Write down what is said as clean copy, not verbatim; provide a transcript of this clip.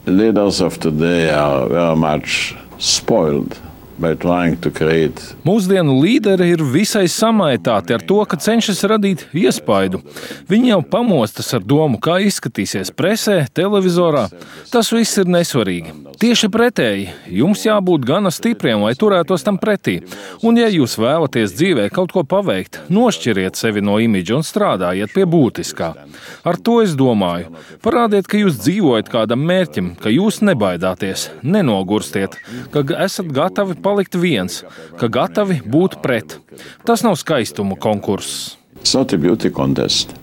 Leaders of today are very much spoiled by trying to create. Mūsdienu līderi ir visai samaitāti ar to, ka cenšas radīt iespaidu. Viņi jau pamostas ar domu, kā izskatīsies presē, televizorā. Tas viss ir nesvarīgi. Tieši pretēji, jums jābūt gana stipriem, lai turētos tam pretī. Un ja jūs vēlaties dzīvē kaut ko paveikt, nošķiriet sevi no imidža un strādājiet pie būtiskā. Ar to es domāju. Parādiet, ka jūs dzīvojat kādam mērķim, ka jūs nebaidāties, nenogurstiet, ka esat gatavi palikt viens, ka gatavi būt pret. Tas nav skaistuma konkurss. It's not a beauty contest.